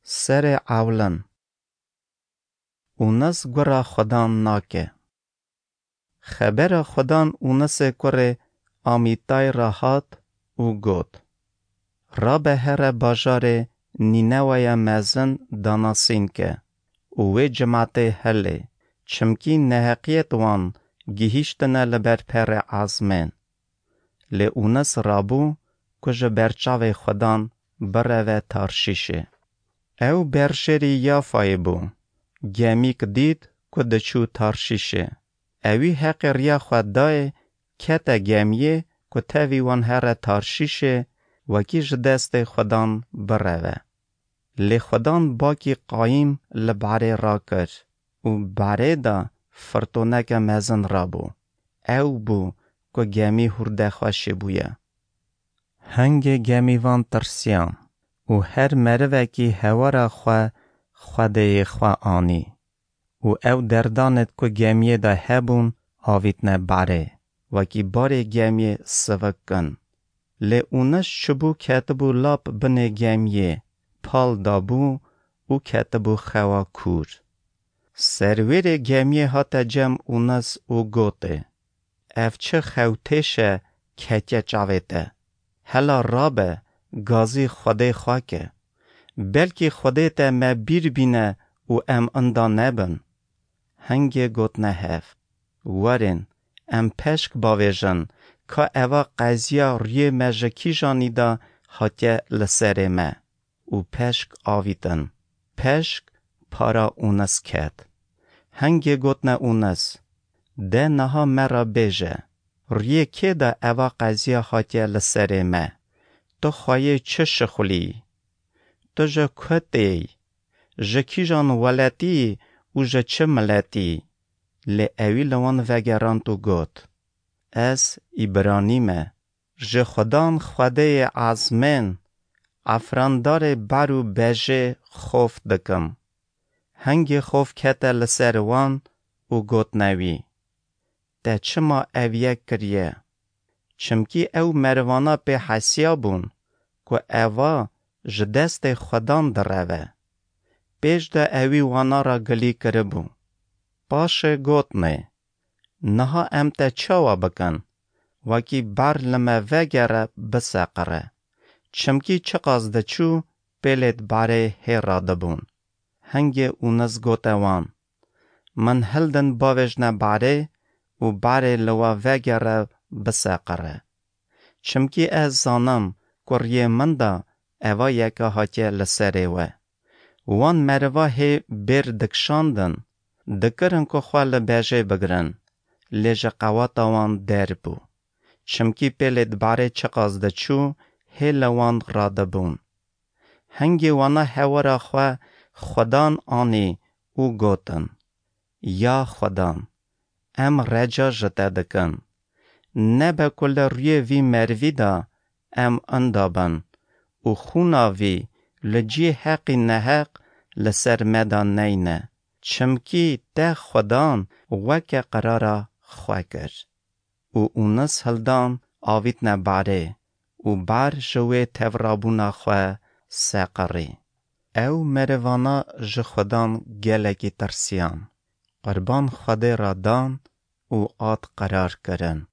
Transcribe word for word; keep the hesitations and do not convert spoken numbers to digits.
Serê ewlin. Ûnes gura Xudan nake. Xebera Xudan Ûnesê kurê Amîtay re hat û got: Rabe here bajarê Nîneweya mezin danasîn ke û wê cimatê hilê, çimkî neheqiyet wan gihîştine li ber perê ezmên. Lê Ûnes rabû ku ji ber çavê Xudan bireve Tarşîşê. Ew berjêrî Yafayê bû. Gemîk dît ku diçû Tarşîşê. Ewî heqê riya xwe dayê, kete gemiyê ku tevî wan here Tarşîşê, wekî ji destê Xudan bireve. Lê Xudan bakî qayîm li barê rakir û barê de firtoneke mezin rabû. Ew bû ku gemî hûrde xweşî bûye. Hingê gemîvan tirsiyan û her merivekî hewara xwe xwedêyê xwe anî û ew derdanêt ku gemiyê de hebûn avîtne barê, wekî barê gemiyê sivik kin. Lê Ûnes çibû ketibû lap binê gemiyê, pal dabû û ketibû xewa kûr. Serwêrê gemiyê hate cem Ûnes û gotê: Ev çi xewtêş e ketiye çavê te? Hela rabe, gazî Xwedê xwe ke. Belkî Xwedê te me bîr bîne û em inda nebin. Hingê gotine hev: Werin, em peşk bavêjin ka eva qeziya riyê me ji kîjanî de hatiye li serê me. Û peşk avîtin. Peşk para Ûnes ket. Hingê gotine Ûnes: De niha me re bêje, riyê kê de eva qeziya hatiye li serê me? Tu xweyê çi şixulî? Tu ji ku têyî? Ji kîjan weletî yî û ji çi miletî yî? Lê ewî li wan vegerand û got: Ez îbranî me. Ji Xudan Xwedêyê ezmên, efrandarê ber û bejê xof dikim. Hingê xof kete li ser wan û gotine wî: Te çima ev yek kiriye? Çimkî ew merivana pê hesiya bûn ku eva ji destê Xudan direve. Pêş de ewî wana re gilî kiribû. Paşê gotine: Niha em te çawa bikin? Wekî ber li me vegere biseqire. Çimkî çiqas diçû, pêlêt barê hê radibûn. Hingê Ûnis gote wan: Min hildin bavêjne barê û barê li we vegere biseqire. Çimkî ez zanim ku riyê min de eva yeka hatiye li serê we. Wan meriva hê bêr dikişandin, dikirin ku xwe li bejê bigirin, lê ji qewata wan der bû. Çimkî pêlêt barê çiqas diçû, hê li wan radibûn. Hingê wana hewara xwe Xudan anî û gotin: Ya Xudan, em reca ji te dikin. Nebe ku li rûyê vî merivî de em inda bin û xûna vî li cihê heqî neheq li ser me de neyne. Çimkî te Xudan weke qirara xwe kir. Û Ûnis hildan avîtne barê û bar ji wê tevrabûna xwe seqirî. Ew merivana ji Xudan gelekî tirsiyan. Qurban Xwedê re dan û ad qerar kirin.